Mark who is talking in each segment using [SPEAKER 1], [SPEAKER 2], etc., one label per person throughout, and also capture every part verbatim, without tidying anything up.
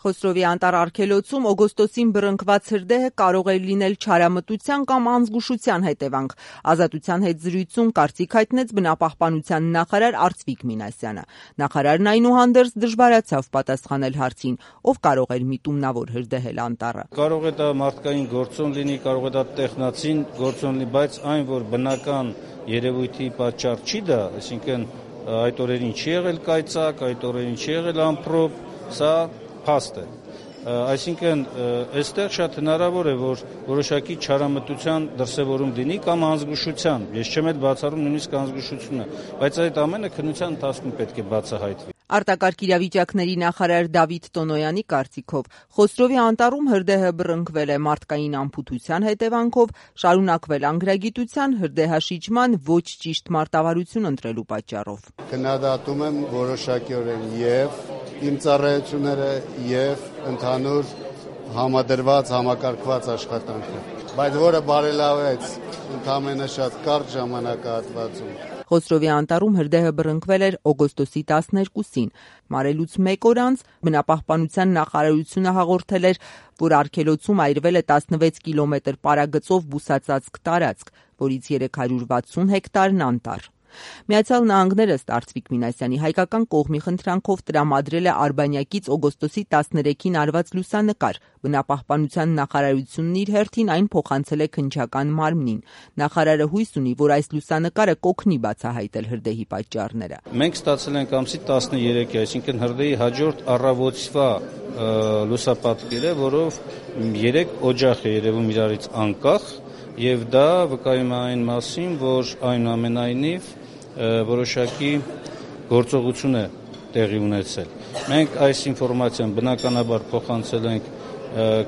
[SPEAKER 1] Խոսրովի անտառ արգելոցում օգոստոսին բռնկված հրդեհը կարող էր լինել չարամտության կամ անզգուշության հետևանք։ Ազատության հետ զրույցում կարծիք հայտնեց բնապահպանության նախարար Արծվիկ Մինասյանը։ Նախարարն այնուհանդերձ դժվարացավ պատասխանել հարցին, ով կարող էր միտումնավոր հրդեհել անտառը։
[SPEAKER 2] Կարող է դա մարդկային գործոն լինի, կարող է դա տեխնացին գործոն լինի, բայց այն, որ բնական երևույթի պատճառ չի դա, այսինքն այդ օրերին չի եղել կայծակ, այդ օրերին չի եղել ամպրոպ, սա փաստ է։ Այսինքն այստեղ շատ հնարավոր է, որ որոշակի չարամտության դրսևորում լինի կամ անզգուշության։ Ես չեմ էլ բացառում նույնիսկ անզգուշությունը, բայց այդ ամենը քննության ընթացքում պետք է բացահայտվի։
[SPEAKER 1] Արտակարգ իրավիճակների նախարար Դավիթ Տոնոյանի կարծիքով Խոսրովի անտառում հրդեհը բռնկվել է մարդկային անփութության հետևանքով, շարունակվել անգրագիտության, հրդեհաշիջման ոչ ճիշտ մարտավարություն ընտրելու պատճառով։
[SPEAKER 3] Քննադատում եմ որոշակիորեն եւ իմ ծառայությունները եւ ընդհանուր համադրված, համակարգված աշխատանքը, բայց որը բարելավեց ընդամենը շատ կարճ ժամանակահատվածում։
[SPEAKER 1] Խոսրովի անտառում հրդեհը բռնկվել էր օգոստոսի տասներկուսին։ Մարելուց մեկ օր անց բնապահպանության նախարարությունը հաղորդել էր, որ արգելոցում այրվել է տասնվեց կիլոմետր պարագծով բուսածածկ տարածք, որից երեք հարյուր վաթսուն հեկտարն անտառ։ Միացյալ Նահանգները ըստ Արծվիկ Մինասյանի հայկական կողմի խնդրանքով տրամադրել է Արբանյակից օգոստոսի տասներեքին արված լուսանկար։ Բնապահպանության նախարարությունն իր հերթին այն փոխանցել է քննչական մարմնին։ Նախարարը հույս ունի, որ այս լուսանկարը կօգնի բացահայտել հրդեհի պատճառները։
[SPEAKER 2] Մենք ստացել ենք ամսի տասներեքի, այսինքն հրդեհի հաջորդ առավոտվա լուսապատկերը, որով երեք օջախ է երևում իրարից անկախ, եւ դա վկայում է այն մասին, որ այնուամենայնիվ որոշակի գործողություն է տեղի ունեցել։ Մենք այս ինֆորմացիան բնականաբար փոխանցել ենք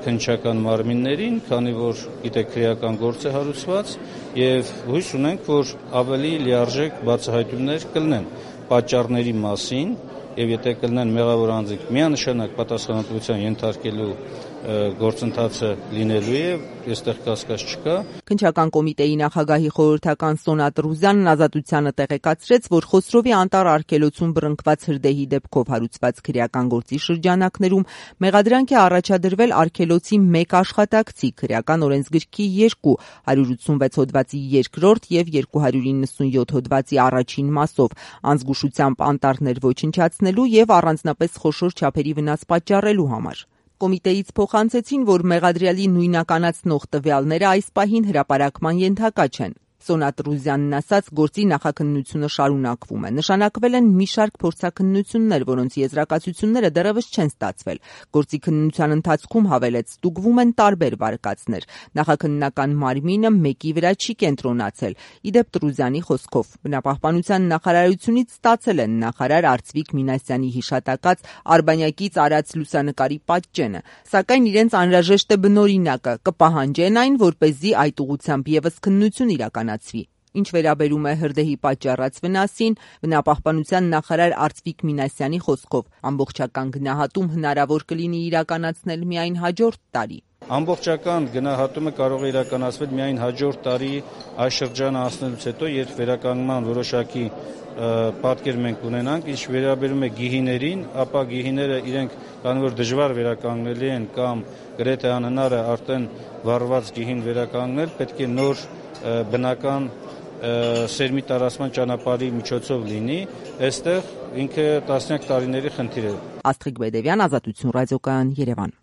[SPEAKER 2] քննչական մարմիններին, քանի որ գիտեք քրեական գործ է հարուցված, եւ հույս ունենք, որ ավելի լիարժեք բացահայտումներ կլինեն պատճառների մասին, եւ եթե կլինեն մեղավոր անձինք միանշանակ պատասխանատվության ենթարկելու գործընթացը լինելու է, այստեղ կասկած չկա։
[SPEAKER 1] Քննչական կոմիտեի նախագահի խորհրդական Սոնա Տրուզյանն Ազատությանը տեղեկացրեց, որ Խոսրովի անտառ արգելոցում բռնկված հրդեհի դեպքով հարուցված քրեական գործի շրջանակներում մեղադրանք է առաջադրվել արգելոցի մեկ աշխատակցի քրեական օրենսգրքի երկու, հարյուր ութսունվեց հոդվածի երկրորդ եւ երկու հարյուր իննսունյոթ հոդվածի առաջին մասով, անզգուշությամբ անտառներ ոչնչացնելու եւ առանձնապես խոշոր չափերի վնաս պատճառելու համար։ Կոմիտեից փոխանցեցին, որ մեղադրյալի նույնականացնող տվյալները այս պահին հրապարակման ենթակա չեն։ Սոնա Տրուզյանն ասաց, գործի նախաքննությունը շարունակվում է։ Նշանակվել են մի շարք փորձաքննություններ, որոնց եզրակացությունները դեռևս չեն ստացվել։ Գործի քննության ընթացքում հավելեց, ստուգվում են տարբեր վարկածներ։ Նախաքննական մարմինը մեկի վրա չի կենտրոնացել։ Իդեպ Տրուզյանի խոսքով, բնապահպանության նախարարությունից ստացել են նախարար Արծվիկ Մինասյանի հիշատակած Արբանյակից արած լուսանկարի պատճենը, սակայն իրենց անհրաժեշտ է բնօրինակը, կպահանջեն այն, որպեսզի այդ ուղղությամբ եւս քննություն իրականացվի։ Ինչ վերաբերում է հրդեհի պատճառած վնասին, բնապահպանության նախարար Արծվիկ Մինասյանի խոսքով, ամբողջական գնահատում հնարավոր կլինի իրականացնել միայն հաջորդ տարի։
[SPEAKER 2] Ամբողջական գնահատումը կարող է իրականացվել միայն հաջորդ տարի այս շրջանը անցնելուց հետո, երբ վերականգնման որոշակի պատկեր մենք ունենանք, ինչ վերաբերում է գիհիներին, ապա գիհիները իրենք քանի որ դժվար վերականգնելի են կամ գրեթե անհնար է արդեն վառված գիհին վերականգնել, պետք է նոր բնական սերմի տարածման ճանապարհի միջոցով լինի, այստեղ ինքը տասնյակ տարիների խնդիր է։
[SPEAKER 1] Աստղիկ Բեդևյան, Ազատություն ռադիոկայան, Երևան։